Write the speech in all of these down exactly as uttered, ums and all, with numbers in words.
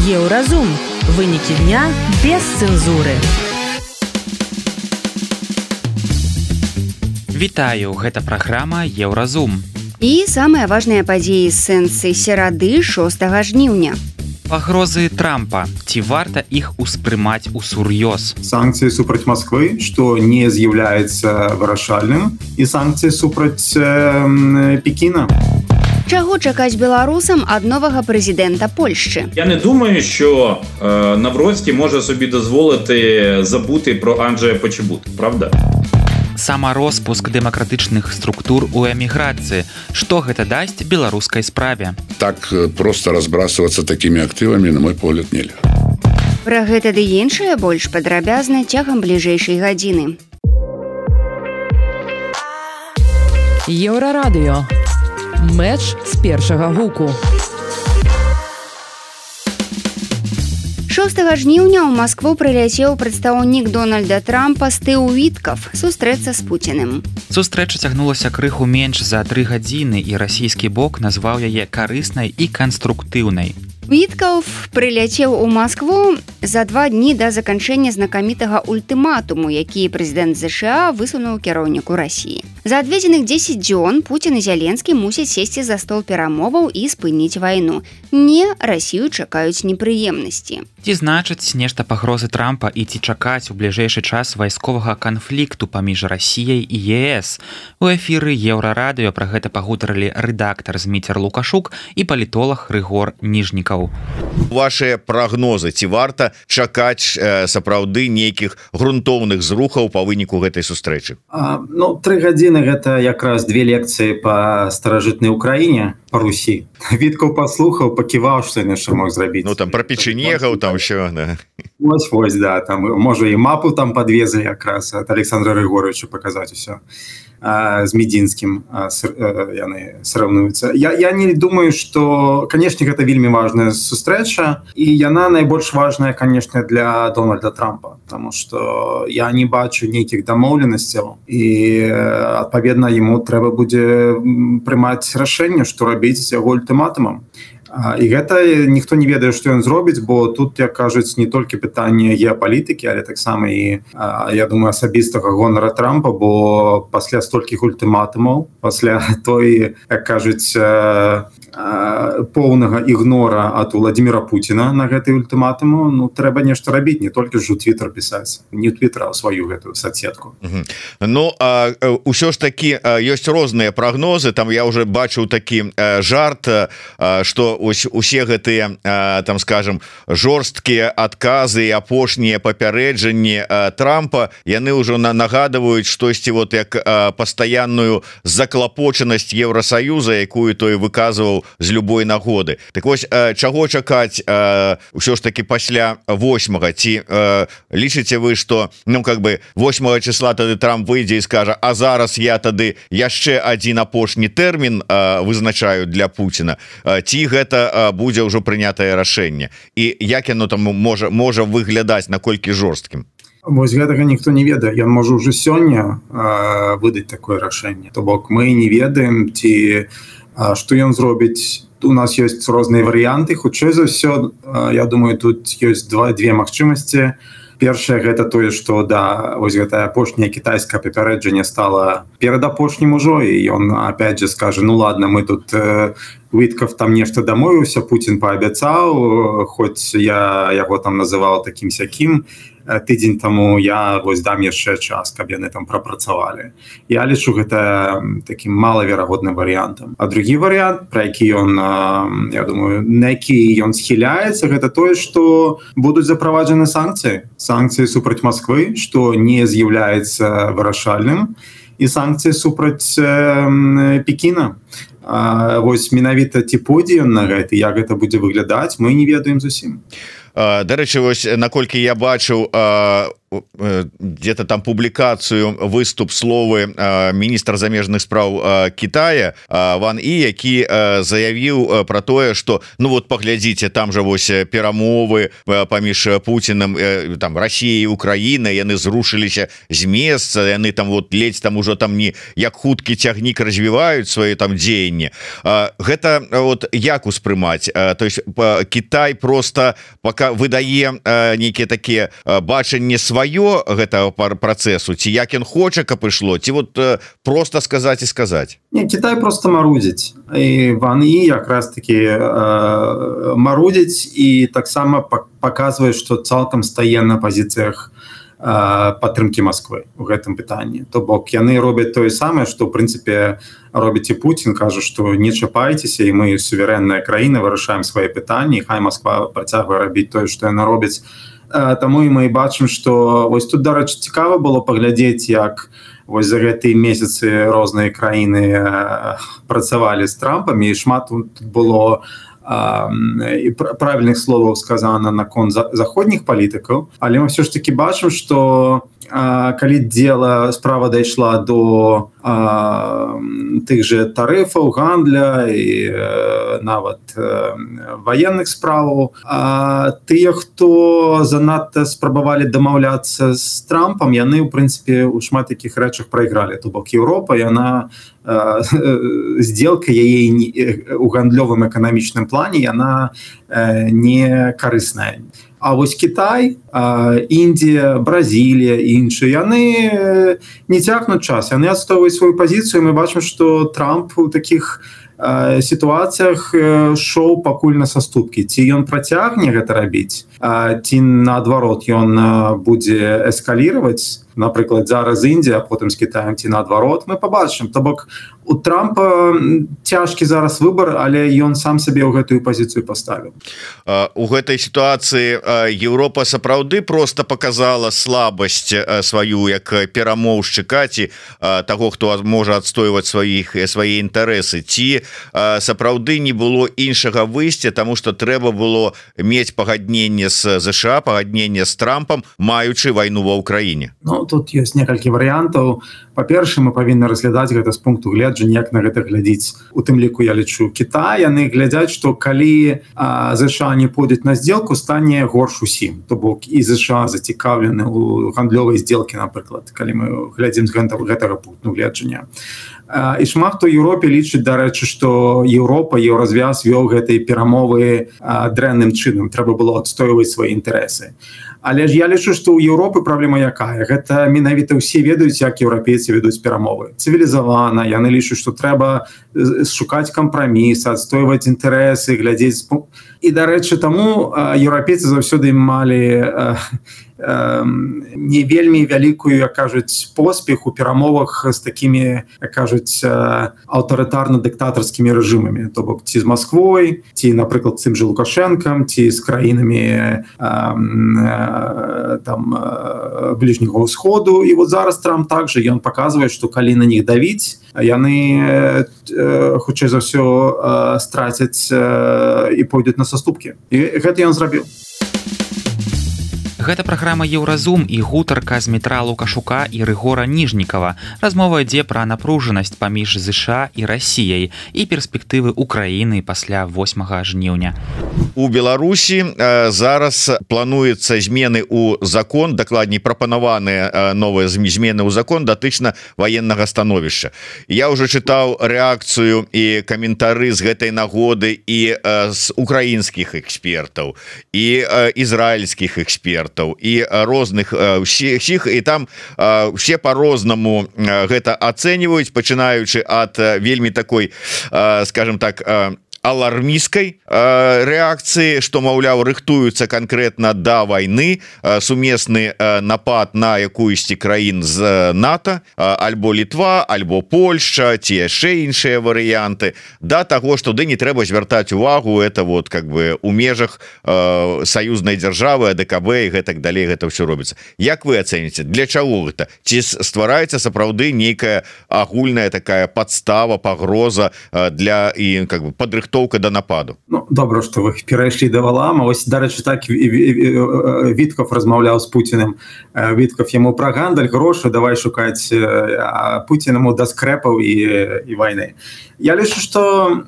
Еўразум. Вынікі дня без цэнзуры. Вітаю, гэта праграма Еўразум. І самыя важныя падзеі з сэнсы серады шостага жніўня. Пагрозы Трампа. Ці варта іх успрымаць усур'ёз? Санкцыі супраць Москвы, што не з'яўляецца вырашальным, і санкцыі супраць э, Пекіна. Чаго чакаць беларусам ад новага прэзідэнта Польшчы? Я не думаю, що е, Навроцький може собі дозволити забути про Анджея Почебута, правда? Самароспуск дэмакратычных структур у эміграцыі. Што гэта дасць беларускай справе? Так просто разбрасываться такими актывамі, на мой погляд, нельга. Пра гэта ды іншае больш падрабязна цягам бліжэйшай гадзіны. Еўрарадыё. Мэч з першага гуку. шостага жніўня ў Маскву прыляцеў прадстаўнік Дональда Трампа Стыў Віткаф сустрэцца з Пуціним. Сустрэча цягнулася крыху менш за тры гадзіны, і расійскі бок назваў яе карыснай і канструктыўнай. Віткаф прыляцеў у Маскву за два дні да заканчэння знакамітага ультыматуму, які прэзідэнт ЗША высунуў кіраўніку Расіі. За адведзеных дзесяць дзён Пуцін і Зеленскі мусяць сесці за стол перамоваў і спыніць вайну. Не, Расію чакаюць непрыемнасці. Ці значыць нешта пагрозы Трампа і ці чакаць у бліжэйшы час вайсковага канфлікту паміж Расіяй і ЕС? У эфіры Еўрарадыё пра гэта пагутарылі рэдактар Зміцер Лукашук і палітолог Рыгор Ніжнікаў. Вашыя прагнозы, ці варта чакаць э, сапраўды нейкіх грунтоўных зрухаў па выніку гэтай сустрэчы? А, ну, тры гадзіны гэта якраз две лекцыі па старажытнай Украіне, па Русі. Віткаў паслухаў, паківаў, што ён яшчэ мог зрабіць. Ну, там пра печенегаў, там ўсё, да. Вось, вось, да, там, можа, і мапу там падвезлі якраз ад Александра Григоровича паказаць усё. З Медзінскім яны сравнуюцца. Я, я не думаю, што, канешне, гэта вельмі важная сустрэча, і яна найбольш важная, канешне, для Дональда Трампа, таму што я не бачу нейкіх дамоўленасцяў, і, адпаведна, яму трэба будзе прымаць рашэнне, што рабіць з яго ультыматумам. І гэта ніхто не ведае, што ён зробіць, бо тут, як кажуць, не толькі пытанне геапалітыкі, але таксама і, я думаю, асабістага гонара Трампа, бо пасля столькіх ультыматумаў, пасля той, як кажуць, поўнага ігнора ад Владзіміра Пуціна на гэтай ультыматуму, ну, трэба нешта рабіць, не толькі ж у Твіттер пісаць, не ў Твіттер, а ў сваю гэтую соцсетку. Угу. Ну, а, ўсё ж такі ёсць розныя прагнозы, там я уже бачыў такі а, жарт, а, што ось усе гэтыя, а, там, скажем, жорсткія адказы і апошнія папярэджанні а, Трампа, яны ўжо на, нагадваюць штосьці вот як а, пастаянную заклапочанасць Еўрасаюза, якую той выказваў з любой нагоды. Так вось, чаго чакаць ўсё ж таки пасля восьмага? Ці э, лічыце вы, што, ну, как бы восьмага числа тады Трамп выйдзе і скажа, а зараз я тады яшчэ адзін апошні тэрмін э, вызначаю для Пуціна? Э, ці гэта э, будзе ўжо прынятае рашэнне? І як яно там можа, можа выглядаць, наколькі жорсткім? Вось гэтага ніхто не ведае. Ён можа ўжо сёння э, выдаць такое рашэнне. То бок мы не ведаем, ці што ён зробіць. У нас ёсць розныя варыянты. Хутчэй за ўсё, я думаю, тут ёсць два, две магчымасці. Першае, гэта тое, што, да, вось гэтае апошняе кітайскае папярэджанне стала перадапошнім ужо, і ён, опять же, скажа, ну ладно, мы тут... Э, Віткаф там нешта дамовіўся, Пуцін паабяцаў, хоць я яго там называў такім-сякім, тыдзень таму я вось дам яшчэ час, каб яны там прапрацавалі. Я лічу гэта такім малаверагодным варыянтам. А другі варыянт, пра які ён, я думаю, на які ён схіляецца, гэта тое, што будуць запроваджаны санкцыі. Санкцыі супраць Москвы, што не з'яўляецца вырашальным, і санкцыі супраць э, Пекіна. А, вось менавіта ці пойдзе ён на гэта, як гэта будзе выглядаць, мы не ведаем зусім. Дарэчы, вось наколькі я бачыў, где-то там публікацыю выступ словы міністра замежных спраў Китая Ван І, які заявіў про тое, что ну вот паглядзіце, там же вось перамовы паміж Путиным, там Россией, Украиной, яны зрушыліся з месца, яны там вот ледзь там ужо там не як хуткі цягнік развіваюць свае там дзеянні. Гэта вот як успрымаць? То есть Китай просто пока выдае нейкія такія бачанне сваё гэтага працэсу, ці як ён хоча, каб ішло, ці вот просто сказаць і сказаць? Не, Китай просто марудзіць. І Ван І якраз таки э, марудзіць і таксама паказвае, што цалкам стае на пазіцыях падтрымкі Москвы у гэтым пытанні. То бок яны робяць тое самае, што ў прынцыпе робіць і Путін, кажа, што не чапайцеся, і мы суверэнная краіна, вырашаем свае пытанні, хай Москва працягвае рабіць тое, што яна робіць. Таму і мы бачым, што вось тут, дарэчы, цікава было паглядзець, як вось за гэтыя месяцы розныя краіны працавалі з Трампамі, і шмат тут было і правільных словаў сказана наконт заходніх палітыкаў, але мы все ж таки бачым, што калі дзела справа дайшла до а, тых же тарыфаў, гандля і нават ваенных справаў, а тыя, хто занадта спрабавалі дамаўляцца з Трампам, яны ў прынцыпе у шмат такіх рэчах прайгралі. То бок Еўропа, яна сделка яе у гандлёвым эканамічным плане, яна не карысная. А вось Китай, Індія, Бразілія і іншыя, яны не цягнуць час, яны адстойваюць сваю пазіцыю. Мы бачым, што Трамп у такіх сітуацыях шоў пакуль на саступкі. Ці ён працягне гэта рабіць, ці наадварот ён будзе эскаліраваць, напрыклад, зараз Індія, а потым з Кітаем, ці наадварот, мы пабачым. То бок у Трампа цяжкі зараз выбар, але ён сам сабе ў гэтую пазіцыю паставіў. У гэтай сітуацыі Еўропа сапраўды просто показала слабасць сваю як перамоўшчыка, ці таго, хто можа адстойваць сваіх свае інтарэсы, ці сапраўды не было іншага выйсця, таму што трэба было мець пагадненне з ЗША, пагадненне з Трампам, маючы вайну ва ўкраіне. Ну, тут ёсць некалькі варыянтаў. Па-першае, мы павінны разглядаць гэта з пункту гледжання, як на гэта глядзіць. У тым ліку, я лічу, Кітай, яны глядзяць, што калі а, ЗША не пойдуць на здзелку, стане горш усім. То бок і ЗША зацікаўлены ў гандлёвай здзелкі, напрыклад, калі мы глядзім з гэтага пункту гледжання. А, і шмат хто ў Еўропе лічыць, дарэчы, што Еўропа, Еўразвяз вёў гэтыя перамовы а, дрэнным чынам. Трэба было адстойваць свае інтарэсы. Але ж я лічу, што ў Еўропы праблема якая? Гэта менавіта ўсе ведаюць, як еўрапейцы ведуць перамовы. Цывілізавана, яны лічаць, што трэба шукаць кампраміс, адстойваць інтарэсы, глядзець. І, дарэчы, таму еўрапейцы заўсёды малі не вельмі вялікую, як кажуць, поспех у перамовах з такімі, як кажуць, аўтарытарна-дыктатарскімі рэжымамі. То бок ці з Масквой, ці, напрыклад, з тым же Лукашэнкам, ці з краінамі там бліжняга ўсходу. І вот зараз Трамп также ён паказвае, што калі на них давіць, яны хутчэй за ўсё страцяць і пойдуць на саступкі. І гэта ён зрабіў. Гэта праграма Еўразум і гутарка з Дмітра Лукашука і Рыгора Ніжнікава. Размова ідзе пра напружанасць паміж ЗША і Расіяй і перспектывы Украіны пасля восьмага жніўня. У Беларусі зараз плануецца змены ў закон, дакладней прапанаваныя новыя змены ў закон датычна ваеннага становішча. Я ўжо чытаў рэакцыю і каментары з гэтай нагоды і з украінскіх экспертаў, і ізраільскіх экспертаў, і розных усіх, і там все по-рознаму гэта ацэньваюць, пачынаючы ад вельмі такой, скажем так, алармісткай рэакцыі, што, маўляў, рыхтуюцца канкрэтна да вайны, сумесны напад на якуюсьці краін з НАТО, альбо Літва, альбо Польшча, ці яшчэ іншыя варыянты, да таго, што ды не трэба звяртаць увагу, это вот как бы у межах саюзнай дзяржавы, АДКБ і гэтак далей гэта ўсё робіцца. Як вы ацэніце, для чаго гэта? Ці ствараецца сапраўды нейкая агульная такая падстава, пагроза для і как бы падрыхтоўкі падрыхтоўка да нападу. Ну, добра, што вы перайшлі да валама. Ось, дарэчы, так Вітков размаўляў з Пуціным. Вітков яму пра гандаль, грошы, давай шукаць, а Пуцін яму да скрэпаў і, і вайны. Я лічу, што,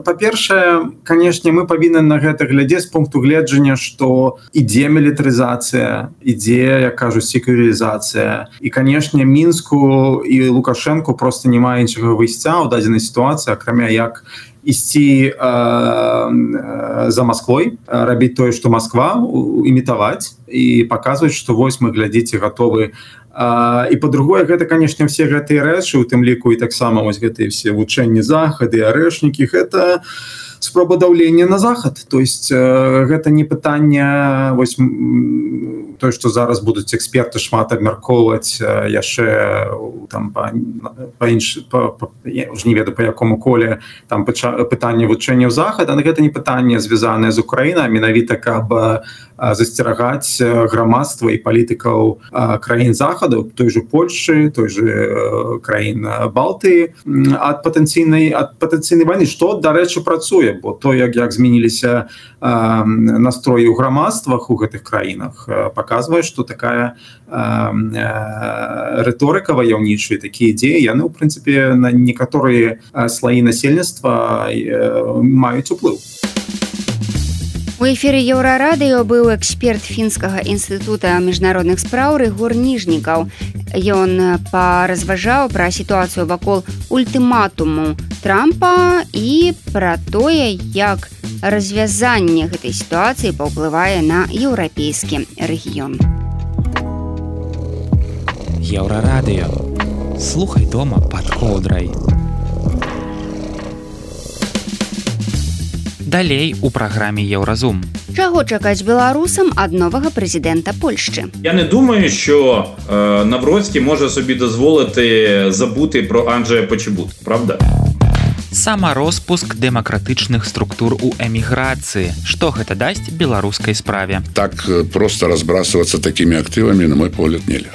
па-першае, канешне, мы павінны на гэта глядзець з пункту гледжання, што ідзе мілітарызацыя, ідзе, як кажуць, секурызацыя. І, канешне, Мінску і Лукашенку проста няма іншага выйсця ў дадзенай сітуацыі, акрамя як ісці э, э, за Москвой, рабіць тое, што Москва, імітаваць і паказваць, што вось мы, глядзіце, гатовы. Uh, і па-другое, гэта, канешне, все гэтыя рэчы, у тым ліку і таксама вось гэтыя все вучэнні захады, арэшнікі, гэта спроба даўлення на захад. То есть uh, гэта не пытанне, вось тое, што зараз будуць эксперты шмат абмяркоўваць uh, яшчэ там па, па інш, па, па, я ўжо не ведаю, па якому коле там пытанне вучэнняў захада, але гэта не пытанне звязанае з Украінай, менавіта каб uh, засцерагаць грамадства і палітыкаў uh, краін захаду, той же Польшчы, той же uh, краін Балтыі ад патэнцыйнай ад патэнцыйнай вайны, што, дарэчы, працуе, бо то, як, як змяніліся uh, настроі ў грамадствах у гэтых краінах, uh, паказвае, што такая uh, uh, рыторыка ваяўнічая, такія ідзеі, яны, ў прынцыпе, на некаторыя uh, слаі насельніцтва uh, маюць уплыў. У эфіры Еўрарадыё быў эксперт фінскага інстытута міжнародных спраў Рыгор Ніжнікаў. Ён паразважаў пра сітуацыю вакол ультыматуму Трампа і пра тое, як развязанне гэтай сітуацыі паўплывае на еўрапейскі рэгіён. Еўрарадыё. Слухай дома пад коўдрай. Далей у праграме Еўразум. Чаго чакаць беларусам ад новага прэзідэнта Польшчы? Я не думаю, що е, Навроцький може собі дозволити забути про Анджея Почебутка, правда? Самароспуск дэмакратычных структур у эміграцыі. Што гэта дасць беларускай справе? Так просто разбрасываться такими активами, на мой погляд, нельзя.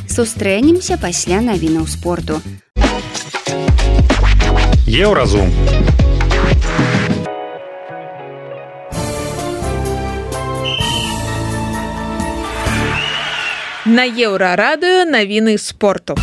Сустрэнемся пасля навінаў спорту. Еўразум. На Еўрарадыё навіны спорту.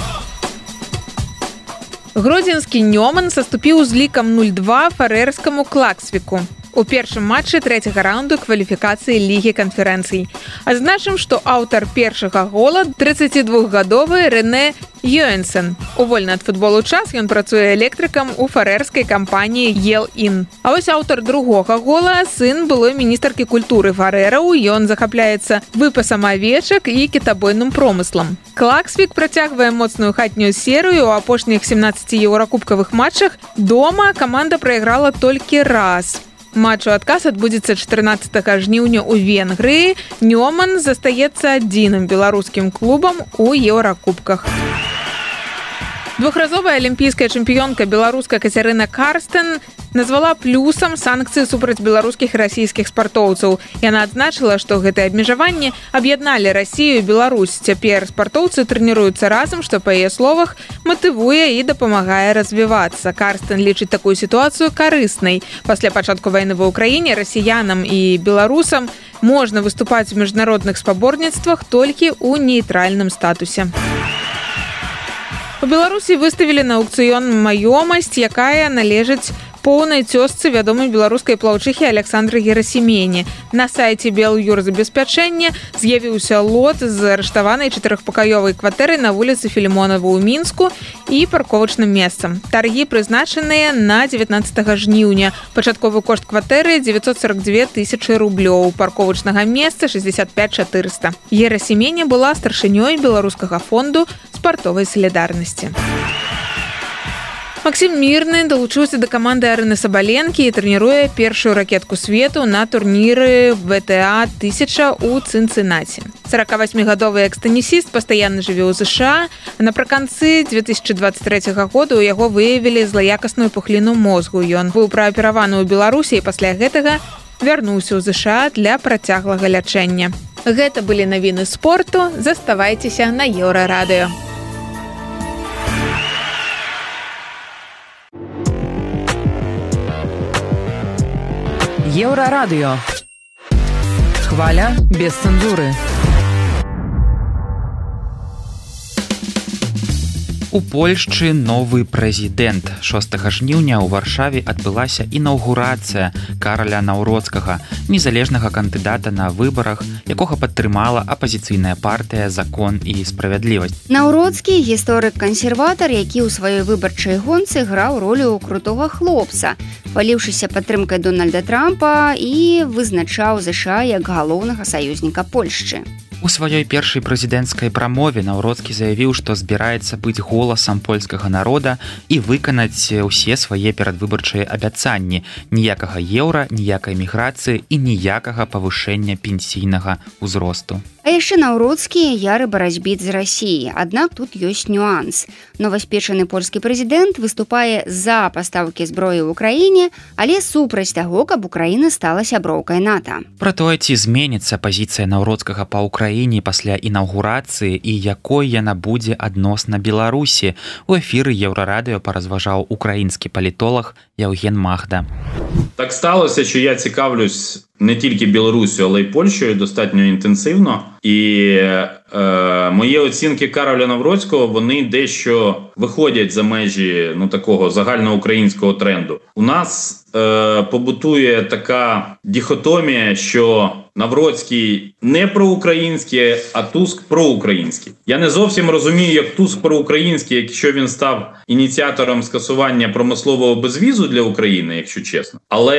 Гродзенскі Нёман саступіў з лікам нуль два фарэрскаму Клаксвіку у першым матчы трэцяга раунду кваліфікацыі Лігі канферэнцый. Адзначым, што аўтар першага гола трыццацідвухгадовы Рэне Йоэнсен. У вольны ад футболу час ён працуе электрыкам у фарэрскай кампаніі Ел-Ін. А вось аўтар другога гола сын былой міністаркі культуры фарэраў. Ён захапляецца выпасам авечак і кітабойным промыслам. Клаксвік працягвае моцную хатнюю серыю. У апошніх семнаццаці еўракубкавых матчах дома каманда прайграла толькі раз. Матч у адказ адбудзецца чатырнаццатага жніўня ў Венгрыі. Нёман застаецца адзіным беларускім клубам у еўракубках. Двухразовая алімпійская чэмпіёнка беларуска Кацярына Карстэн назвала плюсам санкцыі супраць беларускіх і расійскіх спартоўцаў. Яна адзначыла, што гэтыя абмежаванні аб'ядналі Расію і Беларусь. Цяпер спартоўцы трэніруюцца разам, што, па яе словах, матывуе і дапамагае развівацца. Карстэн лічыць такую сітуацыю карыснай. Пасля пачатку вайны ва ўкраіне расіянам і беларусам можна выступаць у міжнародных спаборніцтвах толькі ў нейтральным статусе. У Беларусі выставілі на аўкцыён маёмасць, якая належыць поўнай цёзцы вядомай беларускай плаўчыхі Александры Герасімене. На сайце Белюрзабеспячэння з'явіўся лот з арыштаванай чатырохпакаёвай кватэрай на вуліцы Філімонава ў Мінску і парковачным месцам. Таргі прызначаныя на дзевятнаццатага жніўня. Пачатковы кошт кватэры дзевяцьсот сорок дзве тысячы рублёў, парковачнага месца шэсцьдзесят пяць чатырыста. Герасімене была старшынёй беларускага фонду спартовай салідарнасці. Максім Мірны далучыўся да каманды Арыны Сабаленкі і трэніруе першую ракетку свету на турніры вэ тэ а тысяча ў Цынцынаці. сорокавасьмігадовы экс-тэнісіст пастаянна жыве ў ЗША, а напрыканцы две тысячы дваццаць трэцяга года ў яго выявілі злаякасную пухліну мозгу. Ён быў праапераваны ў Беларусі і пасля гэтага вярнуўся ў ЗША для працяглага лячэння. Гэта былі навіны спорту. Заставайцеся на Еўрарадыё. Еўрарадыё. Хваля без цэнзуры. У Польшчы новы прэзідэнт. шостага жніўня ў Варшаве адбылася інаўгурацыя Караля Наўроцкага, незалежнага кандыдата на выбарах, якога падтрымала апазіцыйная партыя «Закон і справядлівасць». Наўроцкі – гісторык-кансерватар, які ў сваёй выбарчай гонцы граў ролю крутога хлопца, паліўшыся падтрымкай Дональда Трампа і вызначаў ЗША як галоўнага саюзніка Польшчы. У сваёй першай прэзідэнцкай прамове Наўроцкі заявіў, што збіраецца быць голасам польскага народа і выканаць усе свае перадвыбарчыя абяцанні. Ніякага еўра, ніякай міграцыі і ніякага павышэння пенсійнага ўзросту. А яшчэ Наўроцкі яры барацьбіт з Расіяй. Аднак тут ёсць нюанс. Новаспечаны польскі прэзідэнт выступае за пастаўкі зброі ў Украіне, але супраць таго, каб Украіна стала сяброўкай НАТО. Пра тое, ці зменіцца пазіцыя Наўроцкага па Украіне пасля інаўгурацыі і якой яна будзе адносна Беларусі, у эфіры Еўрарадыё паразважаў украінскі палітолог Яўген Магда. Так сталося, що я цікавлюсь не тільки Білорусію, але й Польщею достатньо інтенсивно. І е, мої оцінки Кароля Навроцького, вони дещо виходять за межі ну, такого загальноукраїнського тренду. У нас е, побутує така дихотомія, що Навроцький не проукраїнський, а Туск проукраїнський. Я не зовсім розумію, як Туск проукраїнський, якщо він став ініціатором скасування промислового безвізу для України, якщо чесно. Але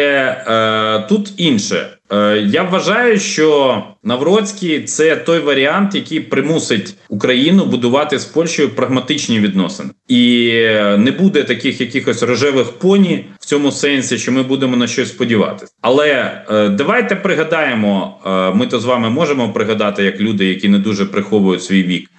е, тут інше. Е, я вважаю, що Навроцький – це той варіант, який примусить Україну будувати з Польщею прагматичні відносини. І не буде таких якихось рожевих поні в цьому сенсі, що ми будемо на щось сподіватися. Але е, давайте пригадаємо, е, ми то з вами можемо пригадати, як люди, які не дуже приховують свій вік.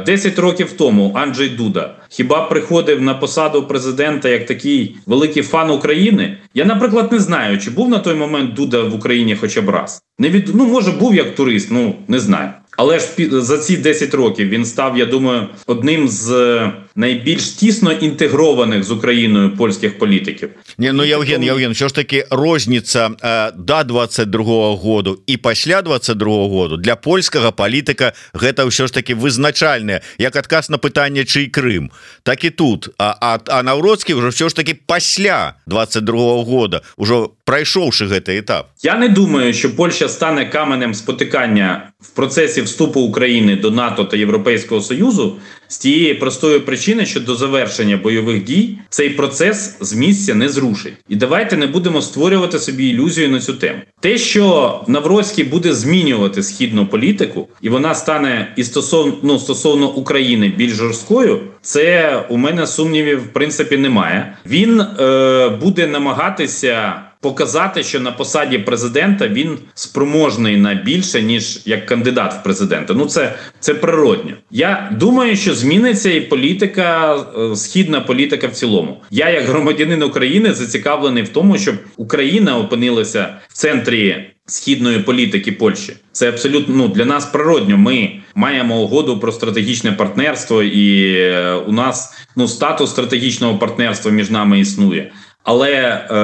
Десять років тому Анджей Дуда хіба приходив на посаду президента як такий великий фан України? Я, наприклад, не знаю, чи був на той момент Дуда в Україні хоча б раз. Не від... Ну, може, був як турист, ну, не знаю. Але ж за ці десять років він став, я думаю, одним з найбільш тісно інтегрованих з Україною польських політиків. Не, ну, Євген, Євген, все ж таки розниця е, до двадцять другого году і після двадцять другого году для польського політика гэта все ж таки визначальне, як адказ на питання, чий Крим, так і тут. А, а, а Навроцький вже все ж таки після двадцять другого года, уже пройшовши гэты етап. Я не думаю, що Польща стане каменем спотикання в процесі вступу України до НАТО та Європейського Союзу з тієї простої причини, що до завершення бойових дій цей процес з місця не зрушить. І давайте не будемо створювати собі ілюзію на цю тему. Те, що Навроцький буде змінювати східну політику, і вона стане і стосовно, ну, стосовно України більш жорсткою, це у мене сумнівів в принципі немає. Він е, буде намагатися показати, що на посаді президента він спроможний на більше, ніж як кандидат в президента. Ну, це, це природньо. Я думаю, що зміниться і політика, східна політика в цілому. Я, як громадянин України, зацікавлений в тому, щоб Україна опинилася в центрі східної політики Польщі. Це абсолютно, ну, для нас природньо. Ми маємо угоду про стратегічне партнерство, і у нас, ну, статус стратегічного партнерства між нами існує. Але, е,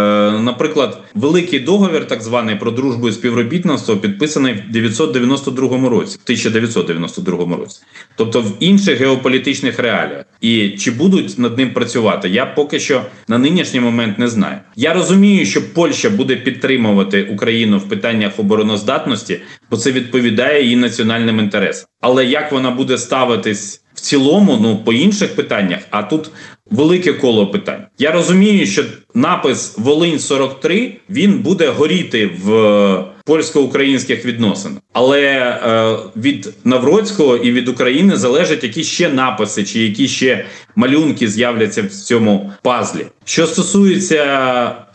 наприклад, великий договір, так званий, про дружбу і співробітництво підписаний в дев'ятсот дев'яносто другому році, в тисяча дев'ятсот дев'яносто другому році. Тобто в інших геополітичних реаліях. І чи будуть над ним працювати, я поки що на нинішній момент не знаю. Я розумію, що Польща буде підтримувати Україну в питаннях обороноздатності, бо це відповідає її національним інтересам. Але як вона буде ставитись в цілому, ну, по інших питаннях, а тут велике коло питань. Я розумію, що напис «Волинь сорок три», він буде горіти в польсько-українських відносинах. Але е, від Навроцького і від України залежать, які ще написи, чи які ще малюнки з'являться в цьому пазлі. Що стосується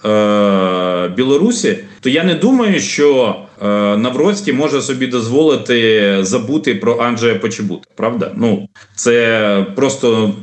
е, Білорусі, то я не думаю, що е, Навроцький може собі дозволити забути про Анджея Почебута, правда? Ну, це просто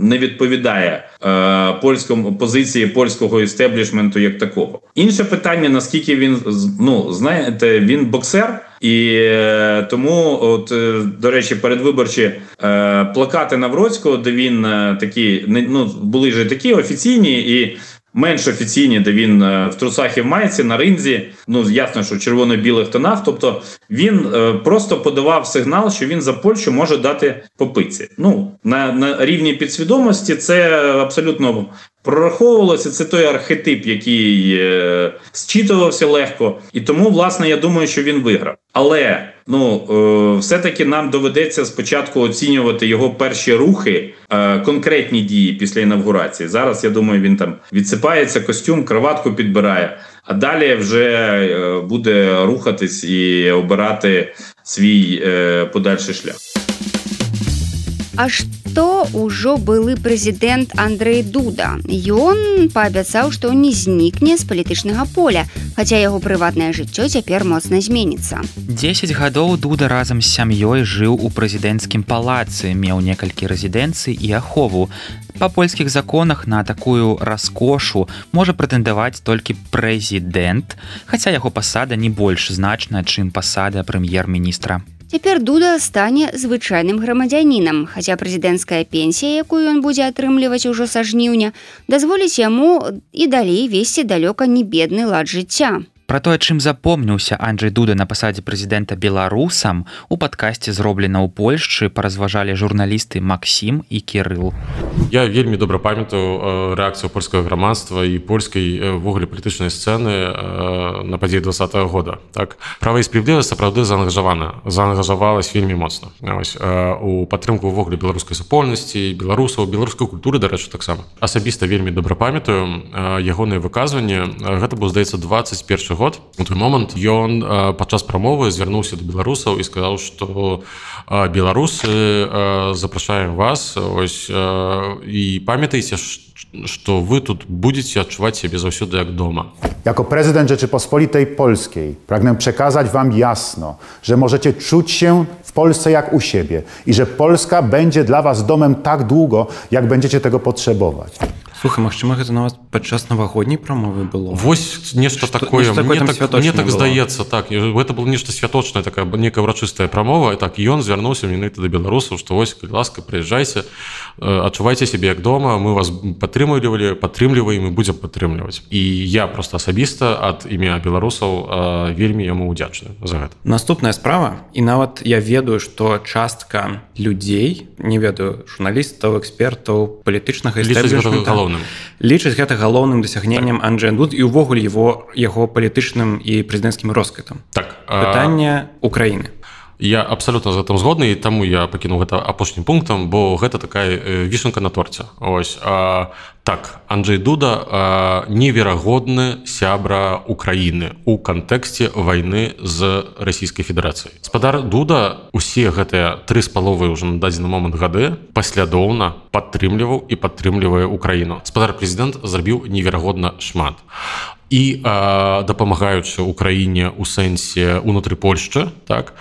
не відповідає е, польському позиції польського істеблішменту як такого. Інше питання, наскільки він, ну, знаєте, він боксер, і е, тому, от, е, до речі, передвиборчі е, плакати Навроцького, де він е, такі, ну, були ж такі офіційні, і менш офіційні, де він в трусах і в майці, на ринзі, ну, ясно, що в червоно-білих тонах, тобто він просто подавав сигнал, що він за Польщу може дати по пиці. Ну, на, на рівні підсвідомості це абсолютно прораховувалося, це той архетип, який е, зчитувався легко, і тому, власне, я думаю, що він виграв. Але, ну, е, все-таки нам доведеться спочатку оцінювати його перші рухи, е, конкретні дії після інавгурації. Зараз, я думаю, він там відсипається, костюм, краватку підбирає, а далі вже е, буде рухатись і обирати свій е, подальший шлях. А што ўжо былы прэзідэнт Андрэй Дуда? Ён паабяцаў, што не знікне з палітычнага поля, хаця яго прыватнае жыццё цяпер моцна зменіцца. дзесяць гадоў Дуда разам з сям'ёй жыў у прэзідэнцкім палацы, меў некалькі рэзідэнцый і ахову. Па польскіх законах на такую раскошу можа прэтэндаваць толькі прэзідэнт, хаця яго пасада не больш значная, чым пасада прэм'ер-міністра. Цяпер Дуда стане звычайным грамадзянінам, хаця прэзідэнцкая пенсія, якую ён будзе атрымліваць ужо са жніўня, дазволіць яму і далей весці далёка не бедны лад жыцця. Пра тое, чым запомніўся Анджэй Дуда на пасадзе прэзідэнта беларусам, у падкасці «Зроблена ў Польшчы» паразважалі журналісты Максім і Кірыл. Я вельмі добра памятаю рэакцыю польскага грамадства і польскай ввогуле палітычнай сцэны на падзеі двадцатага года. Так, права і справядлівасць сапраўды заангажавана, заангажавалась вельмі моцна. Ось, у падтрымку ўвогуле беларускай супольнасці, беларусаў, беларускай культуры, дарэчы, таксама. Асабіста вельмі добра памятаю ягоныя выказванні. Гэта быў, здаецца, двадцать першы год. У той момант ён падчас прамовы звярнуўся да беларусаў і сказаў, што беларусы, запрашаем вас, ось, і памятайце, што вы тут будзеце адчуваць сябе заўсёды як дома. Jako prezydent Rzeczypospolitej Polskiej pragnę przekazać wam jasno, że możecie czuć się w Polsce jak u siebie i że Polska będzie dla was domem tak długo, jak będziecie tego potrzebować. Слухай, магчыма, гэта нават падчас навагодняй прамовы было. Вось нешта такое, мне так, мне так здаецца, так, гэта было нешта святочнае, такая некая ўрачыстая прамова, і так ён звярнуўся менавіта да беларусаў, што вось, калі ласка, прыязджайце, адчувайце сябе як дома, мы вас падтрымлівалі, падтрымліваем і будзем падтрымліваць. І я проста асабіста ад імя беларусаў вельмі яму ўдзячны за гэта. Наступная справа, і нават я ведаю, што частка людзей, не ведаю, журналістаў, экспертаў, палітычнага істэблішмента, лічыць гэта галоўным дасягненнем так. Анджэя Дуды і ўвогуле его, яго палітычным і прэзідэнцкім росквітам. Так, пытанне Украіны. Я абсалютна з гэтым згодны, і таму я пакінуў гэта апошнім пунктам, бо гэта такая вішенка на торце. Ось, а, так, Анджэй Дуда а, неверагодны сябра Украіны у кантэксце вайны з Расійскай Федэрацыяй. Гаспадар Дуда усе гэтыя тры з паловай ўжо на дадзены момант гады паслядоўна падтрымліваў і падтрымлівае Украіну. Гаспадар прэзідэнт зрабіў неверагодна шмат. І а, дапамагаючы Украіне ў сэнсе унутры Польшчы, так,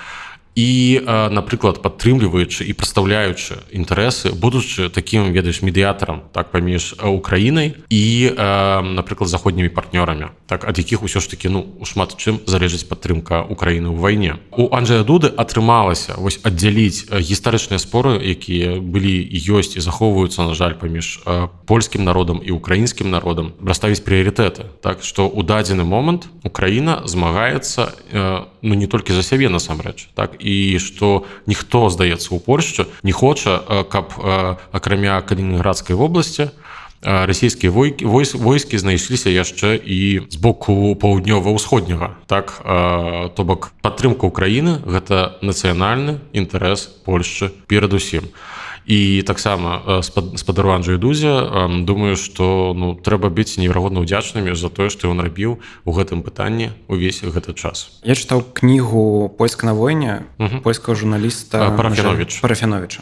і, напрыклад, падтрымліваючы і прадстаўляючы інтарэсы, будучы такім, ведаеш, медыятарам, так, паміж Украінай і, напрыклад, заходнімі партнёрамі, так, ад якіх усё ж такі, ну, шмат чым залежыць падтрымка Украіны ў вайне. У Анджэя Дуды атрымалася вось аддзяліць гістарычныя споры, якія былі і ёсць і захоўваюцца, на жаль, паміж польскім народам і украінскім народам, расставіць прыярытэты, так, што ў дадзены момант Украіна змагаецца, ну, не толькі за сябе насамрэч, так, і што ніхто, здаецца, у Польшчы не хоча, каб акрамя Калінінградскай вобласці расійскія войскі знайшліся яшчэ і з боку паўднёва-ўсходняга. Так, то бок падтрымка Украіны гэта нацыянальны інтарэс Польшчы перадусім. І таксама спадару Анджэю Дузе думаю, што, ну, трэба быць неверагодна ўдзячнымі за тое, што ён рабіў у гэтым пытанні ўвесь гэты час. Я чытаў кнігу «Польска на войне» польскага журналіста Парафяновіча. Парафяновіча.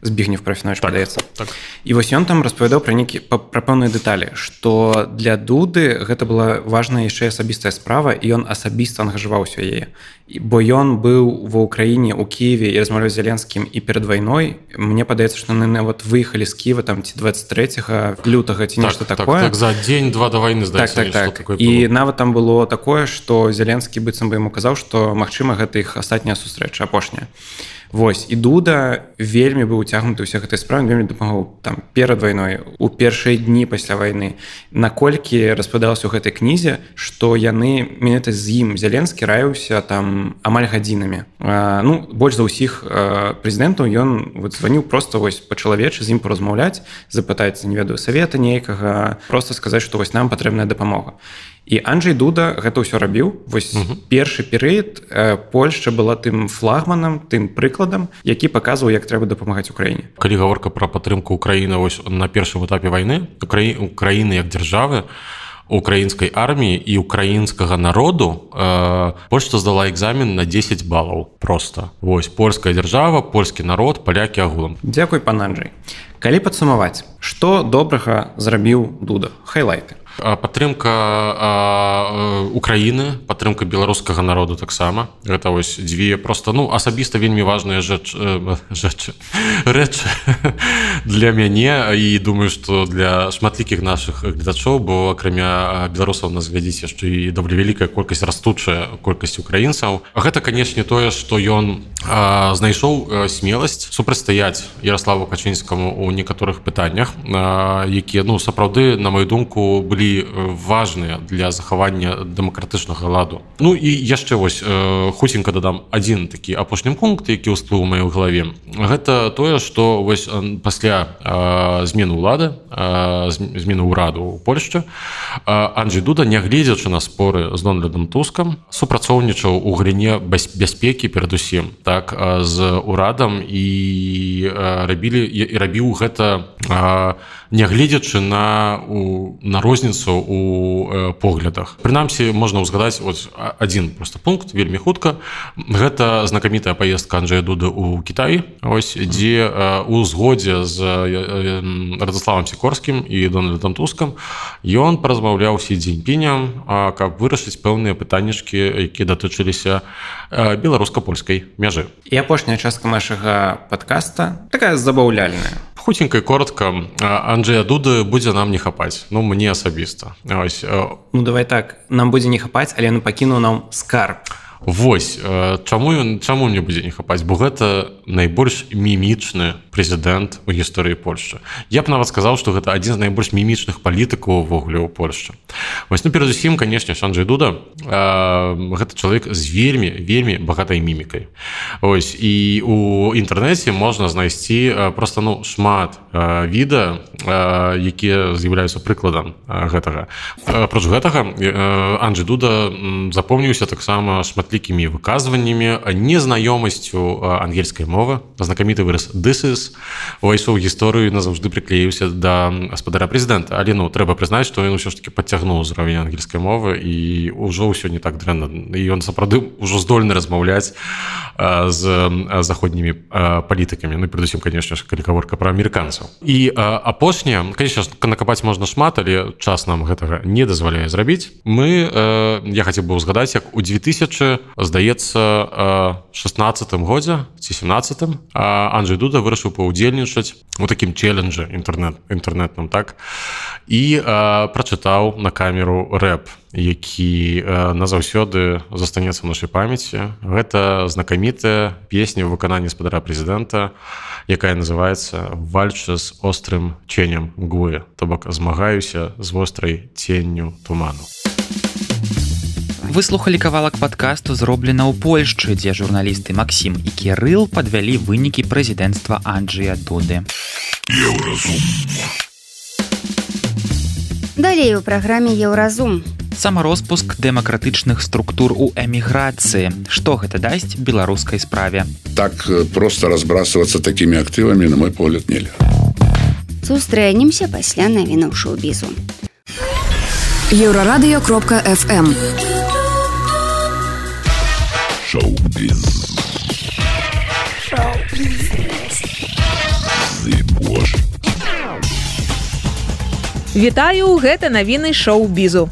Збігнев Парафянович, так, падаецца. Так. І вось ён там распавядаў пра нейкі пра пэўныя дэталі, што для Дуды гэта была важная яшчэ асабістая справа, і ён асабіста ангажаваўся яе. Бо ён быў ва ўкраіне, у Кіеве і размаўляў з Зеленскім і перад вайной. Мне падаецца, што яны нават выехалі з Кіева там ці двадцать трэцяга лютага ці нешта так, такое. Так, так, за дзень-два да вайны, здаецца, так, так, так. І нават там было такое, што Зеленскі быццам бы яму казаў, што магчыма гэта іх астатняя сустрэча, апошняя. Вось, і Дуда вельмі быў уцягнуты ўсе гэтай справы, вельмі дапамагаў там перад вайной, у першыя дні пасля вайны. Наколькі распавядалася ў гэтай кнізе, што яны, менавіта з ім Зеленскі раіўся там амаль гадзінамі. А, ну, больш за ўсіх прэзідэнтаў ён вот, званіў проста вось па-чалавечы з ім паразмаўляць, запытаць, не ведаю, савета нейкага, проста сказаць, што вось нам патрэбная дапамога. І Анджэй Дуда гэта ўсё рабіў. Вось uh-huh. першы перыяд Польшча была тым флагманам, тым прыкладам, які паказваў, як трэба дапамагаць Украіне. Калі гаворка пра падтрымку Украіны вось на першым этапе вайны, Украіны як дзяржавы, украінскай арміі і украінскага народу э, Польшча здала экзамен на дзесяць балаў просто. Вось польская дзяржава, польскі народ, палякі агулам. Дзякуй, пан Анджэй. Калі падсумаваць, што добрага зрабіў Дуда? Хайлайты. Падтрымка Украіны, падтрымка беларускага народу таксама. Гэта вось дзве просто, ну, асабіста вельмі важныя рэчы рэчы для мяне і думаю, што для шматлікіх нашых гледачоў, бо акрамя беларусаў нас глядзіць яшчэ і даволі вялікая колькасць, растучая колькасць украінцаў. Гэта, канешне, тое, што ён знайшоў смеласць супрацьстаяць Ярославу Качынскаму ў некаторых пытаннях, якія, ну, сапраўды, на маю думку, былі важныя для захавання дэмакратычнага ладу. Ну і яшчэ вось хуценька дадам адзін такі апошні пункт, які ўсплыў у маёй галаве. Гэта тое, што вось пасля змены ўлады, змены ўраду ў Польшчы, Анджэй Дуда, нягледзячы на споры з Дональдам Тускам, супрацоўнічаў у галіне бяспекі перадусім, так, з урадам і рабілі і рабіў гэта нягледзячы на на розніцу у поглядах. Прынамсі, можна ўзгадаць вот адзін просто пункт, вельмі хутка. Гэта знакамітая паездка Анджэя Дуды ў Кітай, ось, дзе у згодзе з Радзіславам Сікорскім і Дональдам Тускам ён паразмаўляў Сі Цзіньпінем, каб вырашыць пэўныя пытаннішкі, якія датычыліся беларуска-польскай мяжы. І апошняя частка нашага падкаста такая забаўляльная. Хуценька і коротка, Анджэя Дуды будзе нам не хапаць. Ну, мне асабіста. Ось. Ну, давай так, нам будзе не хапаць, але ён пакінуў нам скарб. Вось, чаму ён, чаму мне будзе не хапаць? Бо гэта найбольш мімічны прэзідэнт у гісторыі Польшчы. Я б нават сказаў, што гэта адзін з найбольш мімічных палітыкаў увогуле ў Польшчы. Вось, ну, перадусім, канешне, Анджэй Дуда гэта чалавек з вельмі, вельмі багатай мімікай. Вось, і у інтэрнэце можна знайсці проста, ну, шмат відэа, якія з'яўляюцца прыкладам гэтага. Апроч гэтага, Анджэй Дуда запомніўся таксама шматлікімі выказваннямі, незнаёмасцю ангельскай мовы. Знакаміты выраз «this is» увайшоў у гісторыю і назаўжды прыклеіўся да гаспадара прэзідэнта. Але, ну, трэба прызнаць, што ён усё ж такі падцягнуў ўзровень ангельскай мовы і ўжо ўсё не так дрэнна. І ён сапраўды ўжо здольны размаўляць з заходнімі палітыкамі. Ну, і перадусім, канешне, калі гаворка пра амерыканцаў. І апошняе, канешне, накапаць можна шмат, але час нам гэтага не дазваляе зрабіць. Мы, я хацеў бы ўзгадаць, як у две тысячи, здаецца, шестнадцатым годзе ці семнадцатым Анджэй Дуда вырашыў паўдзельнічаць у такім челленджы інтэрнет, інтэрнетным, так, і а, прачытаў на камеру рэп, які а, назаўсёды застанецца ў нашай памяці. Гэта знакамітая песня ў выкананні гаспадара прэзідэнта, якая называецца «Вальча з острым ценем мглы», то бок «Змагаюся з вострай ценню туману». Вы слухалі кавалак падкасту, зроблена ў Польшчы, дзе журналісты Максім і Кірыл падвялі вынікі прэзідэнцтва Анджэя Дуды. Еўразум. Далей у праграме Еўразум. Самароспуск дэмакратычных структур у эміграцыі. Што гэта дасць беларускай справе? Так просто разбрасываться такими актывамі, на мой погляд, нельга. Сустрэнемся пасля навінаў шоу-бізу. Еўрарадыё кропка эф эм. Шоу-біз. Шоу-біз. Вітаю, гэта навіны шоу-бізу.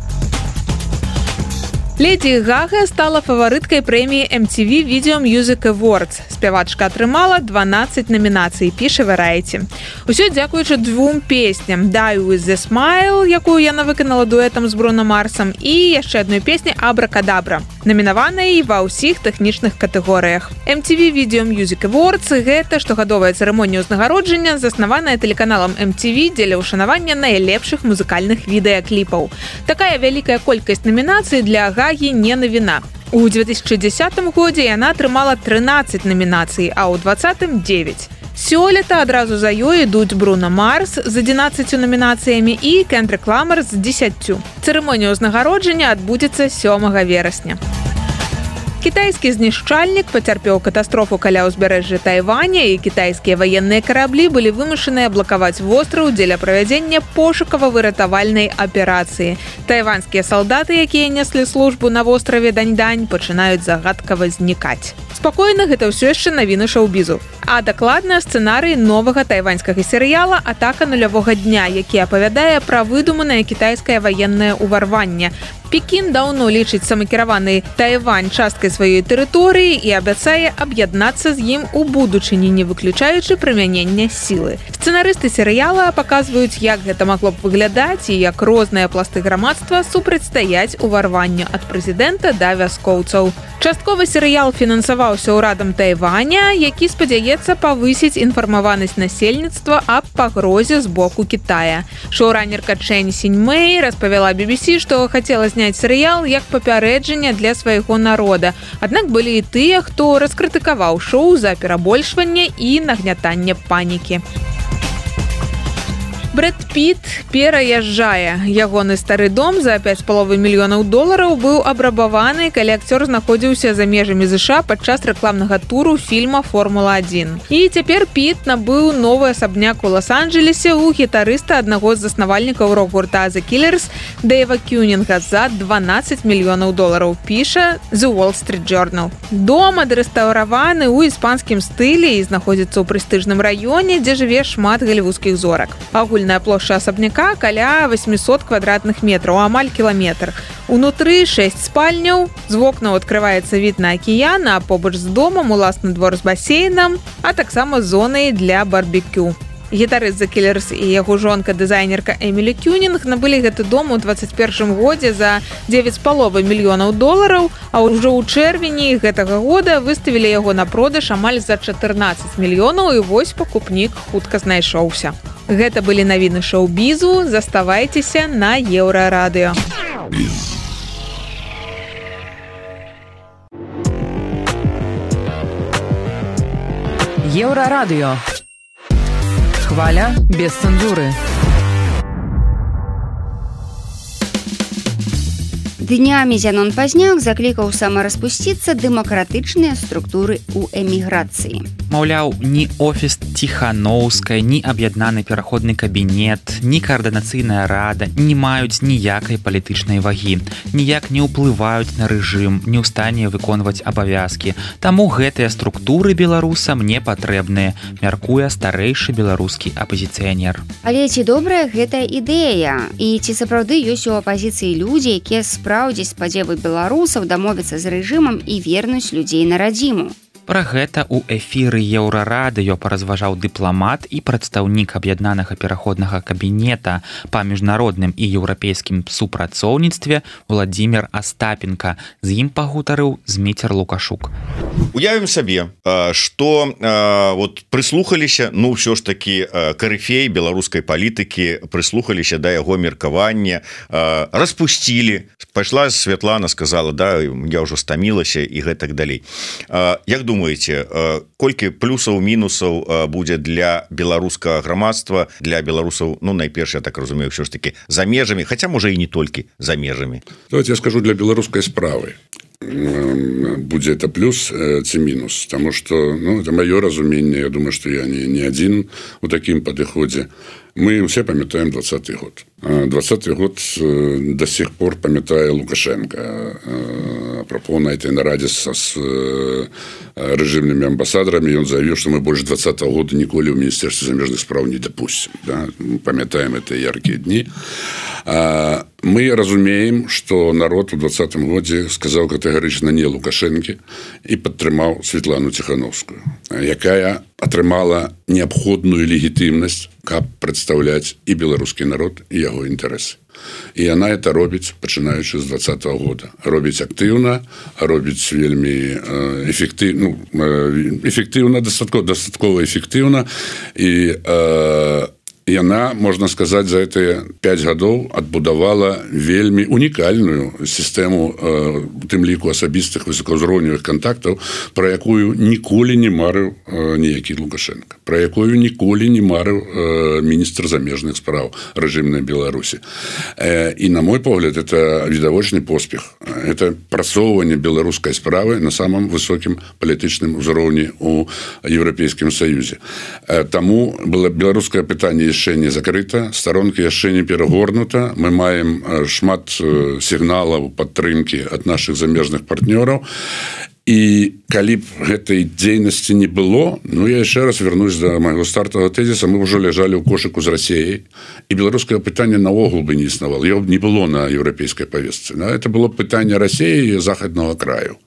Леді Гага стала фаварыткай прэміі эм ти ви Video Music Awards. Спявачка атрымала дванаццаць намінацый, піша Variety. Усё дзякуючы двум песням Die With The Smile, якую яна выканала дуэтам з Бруно Марсам, і яшчэ адной песні Абракадабра, намінаванай ва ўсіх тэхнічных катэгорыях. эм ти ви Video Music Awards – гэта штогадовая цырымонія ўзнагароджання, заснаваная тэлеканалам эм ти ви дзеля ўшанавання найлепшых музыкальных відэакліпаў. Такая вялікая колькасць намінацый для Гагі не навіна. У две тысячи дзесятым годзе яна атрымала трынаццаць намінацый, а ў двадцатым – дзевяць. Сёлета адразу за ёй ідуць Бруно Марс з адзінаццаццю намінацыямі і Кендрик Ламар з дзесяццю. Цырымонія ўзнагароджання адбудзецца сёмага верасня. Кітайскі знішчальнік пацярпеў катастрофу каля ўзбярэжжа Тайваня, і кітайскія ваенныя караблі былі вымушаныя блакаваць востраў дзеля правядзення пошукава-выратавальнай аперацыі. Тайванскія салдаты, якія неслі службу на востраве Даньдань, пачынаюць загадкава знікаць. Спакойна, гэта ўсё яшчэ навіны шоу-бізу. А дакладна сцэнарый новага тайваньскага серыяла «Атака нулявога дня», які апавядае пра выдуманае кітайскае ваеннае ўварванне. Пекін даўно лічыць самакіраваны Тайвань часткай сваёй тэрыторыі і абяцае аб'яднацца з ім у будучыні, не выключаючы прымянення сілы. Сцэнарысты серыяла паказваюць, як гэта магло б выглядаць і як розныя пласты грамадства супрацьстаяць уварванню ад прэзідэнта да вяскоўцаў. Часткова серыял фінансаваўся ўрадам Тайваня, які спадзяецца павысіць інфармаванасць насельніцтва аб пагрозе з боку Кітая. Шоуранерка Чэнь Сіньмэй распавяла би би сі, што хацела зняць серыял як папярэджанне для свайго народа. Аднак былі і тыя, хто раскрытыкаваў шоу за перабольшванне і нагнятанне панікі. Брэд Піт пераязджае. Ягоны стары дом за пяць з паловай мільёнаў долараў быў абрабаваны, калі акцёр знаходзіўся за межамі ЗША падчас рэкламнага туру фільма «Формула адзін». І цяпер Піт набыў новы асабняк у Лос-Анджелесе у гітарыста аднаго з заснавальнікаў рок-гурта The Killers Дэйва Кюнінга за дванаццаць мільёнаў долараў, піша The Wall Street Journal. Дом адрэстаўраваны ў іспанскім стылі і знаходзіцца ў прэстыжным раёне, дзе жыве шмат галівудскіх зорак. Агульная плошча асабняка каля восьмісот квадратных метраў, амаль кіламетр. Унутры шэсць спальняў, з вокнаў адкрываецца від на акіян, а побач з домам уласны двор з басейнам, а таксама зонай для барбекю. Гітарыст The Killers і яго жонка-дызайнерка Эмілі Кюнінг набылі гэты дом у дваццаць першым годзе за дзевяць з паловай мільёнаў долараў, а ўжо ў чэрвені гэтага года выставілі яго на продаж амаль за чатырнаццаць мільёнаў, і вось пакупнік хутка знайшоўся. Гэта былі навіны шоу-бізу, заставайцеся на Еўрарадыё. Еўрарадыё. Хваля без цэнзуры. Днямі Зянон Пазняк заклікаў самараспусціцца дэмакратычныя структуры ў эміграцыі. Маўляў, ні офіс Ціханоўскай, ні аб'яднаны пераходны кабінет, ні каардынацыйная рада не маюць ніякай палітычнай вагі, ніяк не ўплываюць на рэжым, не ў стане выконваць абавязкі. Таму гэтыя структуры беларусам не патрэбныя, мяркуе старэйшы беларускі апазіцыянер. Але ці добрая гэтая ідэя? І ці сапраўды ёсць у апазіцыі людзі, якія спраўдзяць спадзевы беларусаў дамовіцца з рэжымам і вернуць людзей на радзіму? Пра гэта ў эфіры Еўрарадыё паразважаў дыпламат і прадстаўнік аб'яднанага пераходнага кабінета па міжнародным і еўрапейскім супрацоўніцтве Владзімір Астапенка. З ім пагутарыў Зміцер Лукашук. Уявім сабе, што вот прыслухаліся, ну ўсё ж такі карыфей беларускай палітыкі, прыслухаліся да яго меркавання, распусцілі, пайшла Святлана, сказала, да, я ўжо стамілася і гэтак далей. Як думаеце, колькі плюсаў, мінусаў будзе для беларускага грамадства, для беларусаў, ну найперш, я так разумею, ўсё ж такі за межамі, хаця можа і не толькі за межамі. Давайте я скажу, для беларускай справы будзе это плюс ці мінус, потому что, ну, это маё разуменне, я думаю, что я не, не адзін у такім падыходзе. Мы все памятаем двадцатый год. двадцатый год до сих пор памятае Лукашенко. Апропо на этой нараде со, с режимными амбассадорами он заявил, что мы больше двадцатого года николи в Министерстве замежных справ не допустим. Да? Мы памятаем это яркие дни. мы разумеем, што народ у двадцатым годзе сказаў катэгарычна не Лукашэнкі і падтрымаў Светлану Ціхановскую, якая атрымала неабходную легітымнасць, каб прадстаўляць і беларускі народ і яго інтарэсы. І яна это робіць, пачынаючы з двадцатого года. Робіць актыўна, робіць вельмі эфектыўна, ну, эфектыўна, дастаткова, дастаткова эфектыўна, і э, яна, можна сказаць, за гэтыя пяць гадоў адбудавала вельмі унікальную сістэму, у тым ліку асабістых высокаўзроўневых кантактаў, пра якую ніколі не марыў ніякі Лукашенко, пра якую ніколі не марыў міністр замежных спраў рэжымнай Беларусі. І, на мой погляд, это відавочны поспех. Это прасоўванне беларускай справы на самым высокім палітычным узроўні ў Еўрапейскім Саюзе. Таму было беларускае пытанне яшчэ не закрыта, старонка яшчэ не перагорнута. Мы маем шмат сігналаў падтрымкі ад нашых замежных партнёраў. І калі б гэтай дзейнасці не было, ну я яшчэ раз вернусь да майго стартавага тэзіса, мы ўжо ляжалі ў кошыку з Расіяй, і беларускае пытанне наогул бы не існавала, яго б не было на еўрапейскай павестцы. Это было б пытанне Расіі і захаднага краю.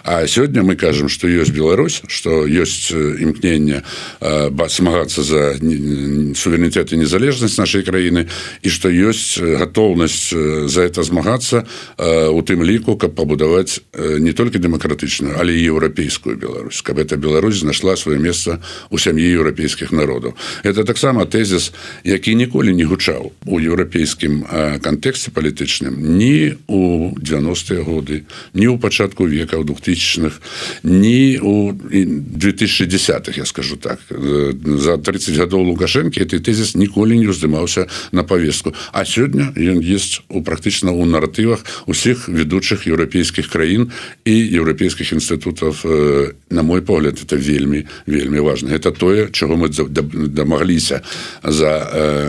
А сёння мы кажам, што ёсць Беларусь, што ёсць імкненне змагацца за суверэнітэт і незалежнасць нашай краіны, і што ёсць гатоўнасць за это змагацца, у тым ліку, каб пабудаваць не толькі дэмакратычную, але і еўрапейскую Беларусь, каб эта Беларусь знайшла сваё месца ў сям'і еўрапейскіх народаў. Это таксама тэзіс, які ніколі не гучаў у еўрапейскім кантэксце палітычным ні ў дзевяностыя годы, ні ў пачатку века, у двухтысячных, ні у две тысячи десятых, я скажу так. За тридцать гадоў Лукашэнкі гэты тэзіс ніколі не ўздымаўся на павестку. А сёння ён ёсць у практычна ў наратывах усіх ведучых еўрапейскіх краін і еўрапейскіх інстытутаў. На мой погляд, это вельмі, вельмі важна. Это тое, чаго мы дамагліся за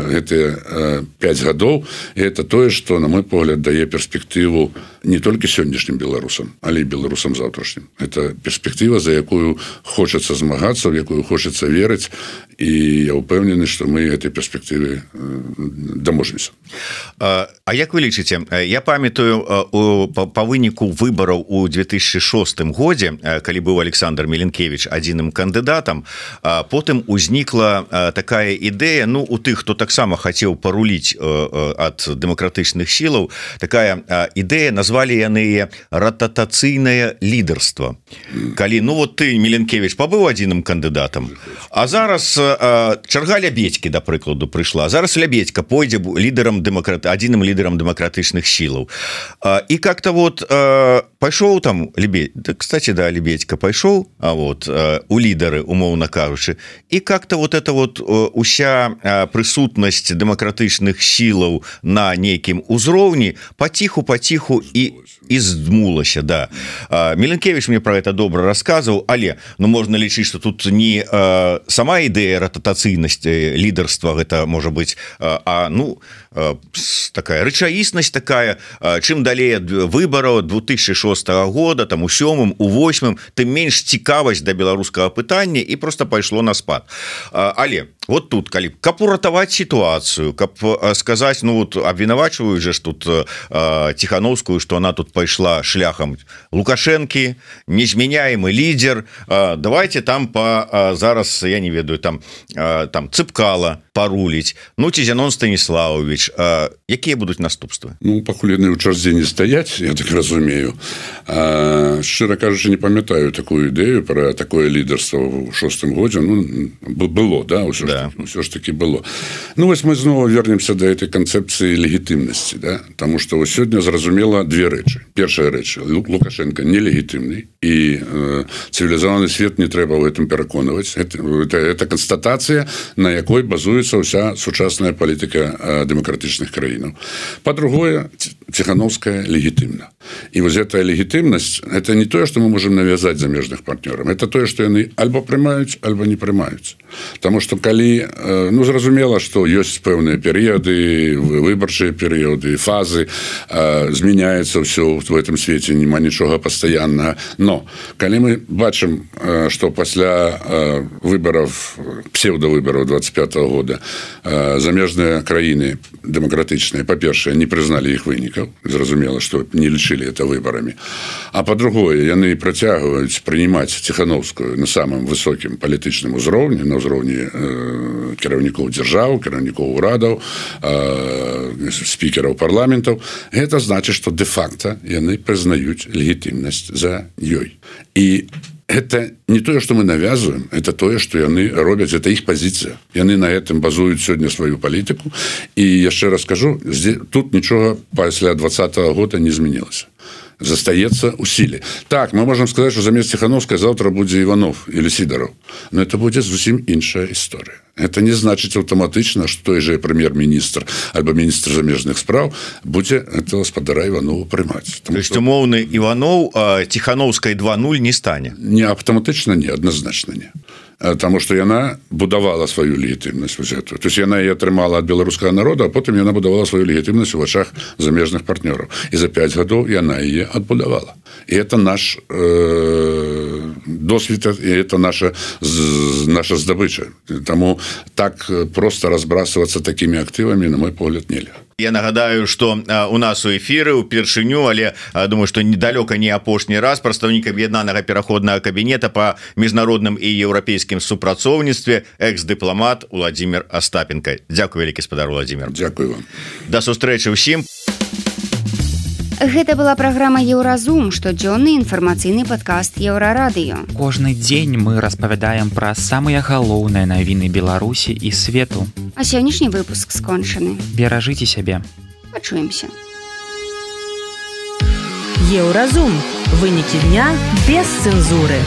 гэтыя пяць гадоў, і это тое, што, на мой погляд, дае перспектыву не толькі сённяшнім беларусам, але і беларусам заўтрашнім. Это перспектыва, за якую хочацца змагацца, в якую хочацца верыць, і я ўпэўнены, што мы гэтай перспектывы даможемся. А, а як вы лічыце? Я памятаю па выніку выбараў у две тысячи шостым годзе, калі быў Александр Меленкевич адзіным кандыдатам, потым узнікла такая ідэя, ну, у тых, хто таксама хацеў паруліць ад дэмакратычных сілаў, такая ідэя, назвалі яны рататацыйнае лідарства. Калі, ну, вот ты, Меленкевич, пабыў адзіным кандыдатам, а зараз чарга Лябедькі, да прыкладу, прыйшла. Зараз Лябедька пойдзе лідарам дэмакрат... адзіным лідарам дэмакратычных сілаў. І как-то вот пайшоў там, Лебедь... кстати, да, Лябедька пайшоў, а вот у лідары, умоўна кажучы, і как-то вот это вот уся прысутнасць дэмакратычных сілаў на нейкім узроўні паціху-паціху і і здмулася, да. Меленкевич мне про это добра расказваў, але, ну, можна лічыць, што тут не а, сама ідэя рататацыйнасці лідарства, гэта можа быць, а, а ну, а, такая рэчаіснасць такая, а, чым далей ад выбараў две тысячи шостага года, там у сёмым, у восьмым, тым менш цікавасць да беларускага пытання і просто пайшло на спад. А, але вот тут, калі каб уратаваць сітуацыю, каб сказаць, ну, вот абвінавачваюць же ж тут а, Ціхановскую, што она тут пайшла шляхам Лукашэнкі, незменяемы лідер, а, давайте там па а, зараз, я не ведаю, там, а, там Цыпкала паруліць, ну, ці Зянон Станіславович, а, якія будуць наступствы? Ну, пакуль яны ў чарзе не стаяць, я так разумею. А, шчыра кажучы, не памятаю такую ідэю пра такое лідарства ў шостым годзе. Ну, было, да, ўсё, да. Ж, ўсё ж таки было. Ну, вось мы зноў вернемся да этой канцэпцыі легітымнасці, да? Таму што сёння зразумела две рэчы. Першая рэч, Лукашенко нелегітымны, і э, цывілізаваны свет не трэба ў гэтым пераконваць. Это, это, это канстатацыя, на якой базуецца ўся сучасная палітыка э, дэмакратычных краінаў. Па-другое, Ціхановская легітымна. И вот эта легитимность, это не то, что мы можем навязать замежных партнерам, это то, что они альбо прымаюць, альбо не прымаюць. Потому что калі, ну, зразумела, что есть пэўныя периоды, выборчыя периоды, фазы, змяняется все в этом свете, нема ничего постоянного. Но калі мы бачым, что после выборов, псевдовыборов двадцать пятого года замежные краины демократичные, по-першае, не признали их выников, зразумела, что не лечили это выборами. А по-другое, яны працягваюць принимать Тихановскую на самом высоким политичном узроўні, на ўзроўні э, кіраўнікоў дзяржаў, кіраўнікоў урадаў, э, спикеров парламентов. Это значит, что де-факто яны признают легитимность за ёй. И это не то, что мы навязываем, это то, что яны робят, это их позиция. Яны на этом базуют сегодня свою политику. И я еще раз скажу, здесь, тут ничего после двадцатого года не изменилось. Застаецца ў сіле. Так, мы можем сказать, что замест Тихановскай завтра будзе Иванов или Сидоров. Но это будет зусім іншая история. Это не значит автоматично, что той же премьер-министр альбо министр замежных справ будзе этого гаспадара Иванова прымаць. То есть умоўны Иванов а Тихановскай два нуль не стане? Не автоматично, не, однозначно не. Потому что яна будавала свою легитимность. То есть яна ее атрымала от белорусского народа, а потом яна будавала свою легитимность в очах замежных партнеров. И за пять годов яна ее отбудавала. И это наш э, досвид, и это наша, наша здобыча. Тому так просто разбрасываться такими активами, на мой погляд, нельзя. Я нагадаю, что у нас у эфиры упершыню, але думаю, что недалёка не апошні раз прадстаўнік аб'яднанага пераходнага кабінета по міжнародным і еўрапейскім супрацоўніцтве экс-дыпламат Владимир Остапенко. Дзякуй вялікі спадар Владимир. Дзякуй вам. Да сустрэчы ўсім. Гэта была праграма Еўразум, штодзённы інфармацыйны падкаст Еўрарадыё. Кожны дзень мы распавядаем пра самыя галоўныя навіны Беларусі і свету. А сённяшні выпуск скончаны. Беражыце сябе. Пачуемся. Еўразум. Вынікі дня без цэнзуры.